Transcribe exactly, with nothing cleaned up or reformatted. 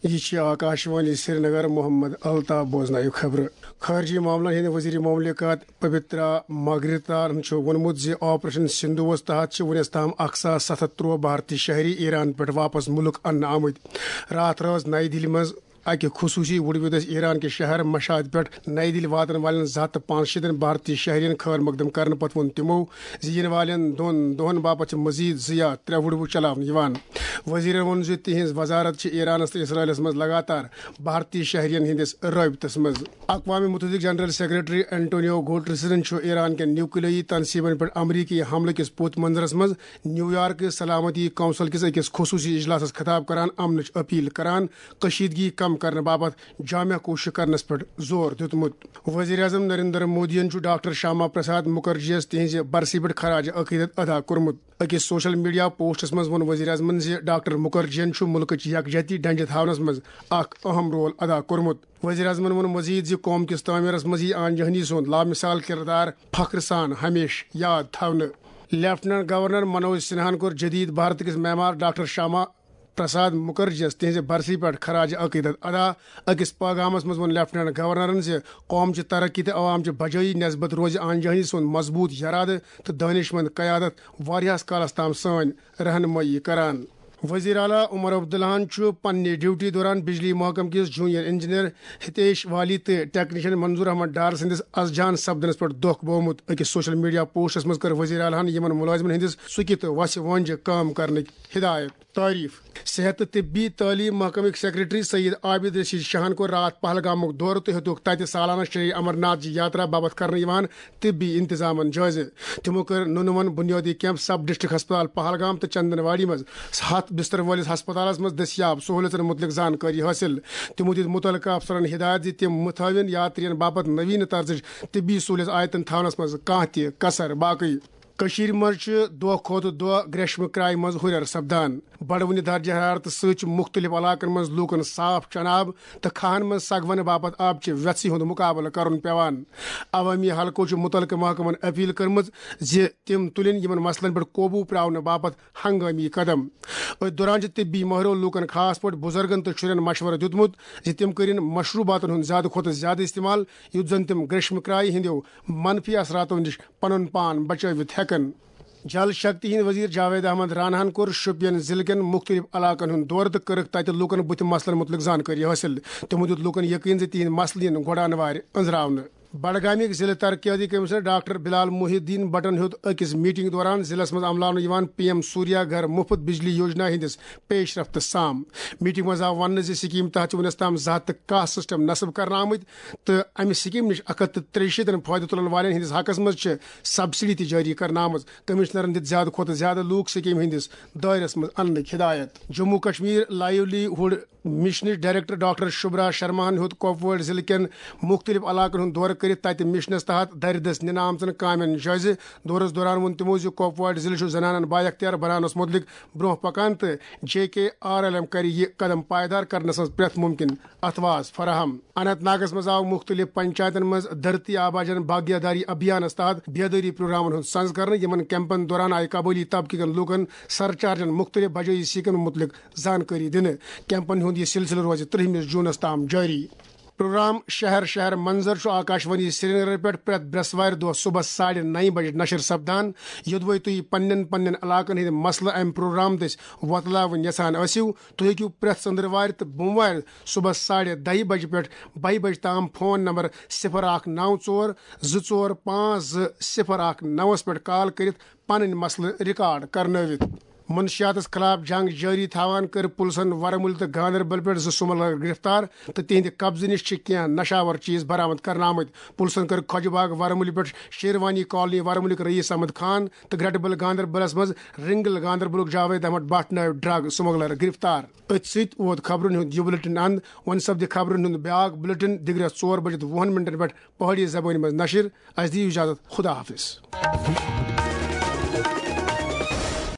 یہِ چھِ آکاشوانی سرینگر، محمد الطاف بوزنٲیِو خبرٕ۔ خارجی معاملن ہٕنٛدۍ وزیر مملکت پبترا ماگریتارن چھُ ووٚنمُت زِ آپریشن سندھوس تحت چھِ وُنیُس تام اکھ ساس ستھ ہتھ ترٛوہ بھارتی شہری ایران پٮ۪ٹھ واپس مُلک اننہٕ آمٕتۍ۔ راتھ رٲژ نئی دِلہِ منٛز اکہِ خصوٗصی وُڈوِدس ایران کہِ شہر مشہد پٮ۪ٹھ نئی دِلہِ واتن والٮ۪ن زٕ ہتھ تہٕ پانٛژشیٖتن بھارتی شہرین خٲر مقدم کرنہٕ پتہٕ ووٚن تِمو زِ یِنہٕ والٮ۪ن دۄن دۄہن باپتھ چھِ مزید زٕ یا ترٛےٚ وُڈوٕ چلاونہٕ یِوان۔ وزیرن ووٚن زِ تِہنٛز وزارت چھِ ایرانس تہٕ اسرائیلس منٛز لگاتار بھارتی شہرین ہٕنٛدِس رٲبطس منٛز۔ اقوام متحدٕکۍ جنرل سیکرٹری اینٹونیو گوٹرسن چھُ ایران کٮ۪ن نیوکلیٲیی تنصیبن پٮ۪ٹھ امریکی حملہٕ کِس پوٚت منظرس منٛز نیویارک سلامتی کونسل کِس أکِس خصوٗصی اجلاسس خطاب کران امنٕچ اپیل کران کشیدگی کم کرنہٕ باپتھ جامع کوٗشش کرنس پٮ۪ٹھ زور دیُتمُت۔ وزیر اعظم نریندر مودیَن چھُ ڈاکٹر شیاما پرساد مکھرجیَس تِہنٛزِ برسی پٮ۪ٹھ خراج عقیدت ادا کوٚرمُت۔ أکِس سوشل میڈیا پوسٹس منٛز ووٚن وزیر اعظمن زِ ڈاکٹر مکھرجیَن چھُ مُلکٕچ یکجہتی ڈنجہِ تھاونس منٛز اکھ اہم رول ادا کوٚرمُت۔ وزیر اعظمن ووٚن مزید زِ قوم کِس تعمیرس منٛز یِیہِ آنجہنی سُنٛد لامثال کردار فخر سان ہمیشہٕ یاد تھاونہٕ۔ لیفٹیننٹ گورنر منوج سنہاہن کوٚر جدید بھارت کِس معمار ڈاکٹر شیاما پرساد مکھرجیَس تِہنٛزِ برسی پٮ۪ٹھ خراج عقیدت ادا۔ أکِس پیغامس منٛز ووٚن لیفٹیننٹ گورنرن زِ قوم چہِ ترقی تہٕ عوام چہِ بجٲیی نسبت روزِ آنجہنی سُنٛد مضبوط یرادٕ تہٕ دٲنشمند قیادت واریاہس کالس تام سٲنۍ رہنمٲیی کران۔ وزیر اعلیٰ عمر عبداللہن چھُ پننہِ ڈیوٹی دوران بجلی محکمہٕ کِس جونیئر انجینئر ہتیش والی تہٕ ٹیکنیشن منظور احمد ڈار سٕنٛدِس از جان سپدنس پٮ۪ٹھ دۄکھ بوومُت۔ أکِس سوشل میڈیا پوسٹس منٛز کٔر وزیر اعلیٰ ہن یِمن مُلٲزمن ہٕنٛدِس سُکہِ تہٕ وژھِ وٲنجہِ کٲم کرنٕکۍ ہدایت۔ تعریف۔ صحت تہٕ طبی تعلیٖم محکمٕکۍ سیکرٹری سید عابد رشید شاہن کوٚر راتھ پہلگامُک دورٕ تہٕ ہیوٚتُکھ تتہِ سالانہٕ شری امر ناتھ جی یاترا باپتھ کرنہٕ یِوان طبی انتظامن جٲیزٕ۔ تِمو کٔر نُنہٕ وَن بُنیٲدی کیمپ، سب ڈسٹرکٹ ہسپتال پہلگام تہٕ چندن واڑی منٛز ہتھ بستر وٲلِس ہسپتالس منٛز دٔستیاب سہوٗلیژن مُتعلق زانکٲری حٲصِل۔ تِمو دِتۍ مُتعلقہٕ افسرن ہدایت زِ تِم مہٕ تھٲوِن یاترین باپتھ نویٖنہٕ طرزٕچ طبی سہوٗلیت آیتن تھاونس منٛز کانٛہہ تہِ کسر باقٕے۔ کٔشیٖرِ منٛز چھِ دۄہ کھۄتہٕ دۄہ گریشمہٕ کرٛایہِ منٛز ہُرٮ۪ر سپدان۔ بڑوٕنہِ درجہ حرارتہٕ سۭتۍ چھِ مُختٔلِف علاقن منٛز لوٗکن صاف چنہٕ آب تہٕ کھاہن منٛز سگونہٕ باپتھ آبہٕ چہِ وٮ۪ژھِ ہُنٛد مُقابلہٕ کرُن پٮ۪وان۔ عوٲمی حلقو چھُ مُتعلقہٕ محکمن اپیل کٔرمٕژ زِ تِم تُلِن یِمن مسلن پٮ۪ٹھ قوبوٗ پراونہٕ باپتھ ہنگٲمی قدم۔ أتھۍ دوران چھِ طبی مٲہرو لوٗکن، خاص پٲٹھۍ بُزرگن تہٕ شُرٮ۪ن مشورٕ دیُتمُت زِ تِم کٔرِن مشروٗباتن ہُنٛد زیادٕ کھۄتہٕ زیادٕ استعمال، یُتھ زن تِم گریشمہٕ کرٛایہِ ہٕنٛدیو منفی اثراتو نِش پنُن پان بچٲوِتھ ہٮ۪کن۔ جل شکتی ہٕنٛدۍ وزیر جاوید احمد راناہن کوٚر شوپین ضلعہٕ کٮ۪ن مُختٔلِف علاقن ہُنٛد دورٕ تہٕ کٔرٕکھ تتہِ لوٗکن بُتھِ مسلن مُتعلق زانکٲری حٲصِل۔ تِمو دیُت لوٗکن یقین زِ تِہنٛدۍ مسلہٕ یِن گۄڈٕ انوارِ أنٛزراونہٕ۔ بڈگامیُک ضلعہٕ ترقیاتی کمشنر ڈاکٹر بلال محی الدین بٹن ہیوٚت أکِس میٹنگ دوران ضلعس منٛز عملاونہٕ یِوان پی ایم سوریا گھر مفت بجلی یوجنا ہٕنٛدِس پیش رفت سام۔ میٹنگ منٛز آو وننہٕ زِ سکیمہِ تحت چھِ وُنیُس تام زٕ ہتھ تہٕ کاہ سسٹم نصب کرنہٕ آمٕتۍ تہٕ امہِ سکیمہِ نِش اکھ ہتھ تہٕ ترٛیہِ شیٖتن فٲیدٕ تُلن والٮ۪ن ہٕنٛدِس حقس منٛز چھِ سبسڈی تہِ جٲری کرنہٕ آمٕژ۔ کمشنرن دِتۍ زیادٕ کھۄتہٕ زیادٕ لوٗکھ سکیمہِ ہٕنٛدِس دٲیرس منٛز اننٕکۍ ہدایت۔ جموں کشمیر لائیولی ہُڈ مشنٕچ ڈائریکٹر ڈاکٹر شبرا شرماہن ہیوٚت کۄپوارِ ضلعہٕ کٮ۪ن مُختٔلِف علاقن ہُنٛد دورٕ کٔرِتھ تَتہِ مشنَس تحت دَرِ دٔسۍ نِنہٕ آمژن کامٮ۪ن جٲیزٕ۔ دورَس دوران ووٚن تِمو زِ کۄپوارِ ضلعہٕ چھُ زنانن بااختیار بناونَس مُتعلِق برٛونٛہہ پکان تہٕ جے کے آر ایل ایم کَرِ یہِ قدم پائیدار کرنَس منٛز پرٛٮ۪تھ مُمکِن اتھواز فراہم۔ اننت ناگَس منٛز آو مُختٔلِف پنچایتن منٛز دھرتی آبا جان بھاگیہ داری ابھیانَس تحت بیدٲری پروگرامَن ہُنٛد سنز کرنہٕ، یِمَن کیمپَن دوران آیہِ قبٲئلی طبقہٕ کٮ۪ن لوٗکَن سرچارجن مُختٔلِف بجٲیی سیکن مُتعلق زانکٲری دِنہٕ۔ کیمپن ہُنٛد یہِ سلسلہٕ روزِ ترٛہمِس جوٗنَس تام جٲری۔ پروگرام شہر شہر منظر چھُ آکاشوانی سرینگر پٮ۪ٹھ پرٛٮ۪تھ برٛٮ۪سوارِ دۄہ صُبحس ساڑِ نَیہِ بجہِ نشر سپدان۔ یوٚدوَے تُہۍ پننٮ۪ن پننٮ۪ن علاقن ہٕنٛدۍ مسلہٕ امہِ پروگرام دٔسۍ وۄتلاوٕنۍ یژھان ٲسِو، تُہۍ ہیٚکِو پرٛٮ۪تھ ژٔنٛدٕروارِ تہٕ بوموارِ صُبحس ساڑِ دَہہِ بجہِ پٮ۪ٹھ بَہہِ بجہِ تام فون نمبر صفر اکھ نو ژور زٕ ژور پانٛژھ زٕ صفر اکھ نوَس پٮ۪ٹھ کال کٔرِتھ پنٕنۍ مسلہٕ ریکارڈ کرنٲوِتھ۔ منشیاتس خلاف جنگ جٲری تھاوان کٔر پُلسن ورمُلہِ تہٕ گاندربل پٮ۪ٹھ زٕ سُمگلر گرفتار تہٕ تِہنٛدِ قبضہٕ نِش چھِ کینٛہہ نشاور چیز برآمد کرنہٕ آمٕتۍ۔ پُلسن کٔر خۄجہِ باغ ورمُلہِ پٮ۪ٹھ شیروانی کالونی ورمُلِک رئیس احمد خان تہٕ گرٹہٕ بل گاندربلس منٛز رنگل گاندربلُک جاوید احمد بٹ نٲوۍ ڈرگ سُمگلر گرفتار۔ أتھۍ سۭتۍ ووت خبرن ہُنٛد یہِ بُلٹن اند۔ وۄنۍ سپدِ خبرن ہُنٛد بیاکھ بُلٹن دِگرس ژور بجِتھ وُہن منٹن پٮ۪ٹھ پہٲڑی زبٲنۍ منٛز نشر۔ اسہِ دِیِو اجازت، خدا حافظ۔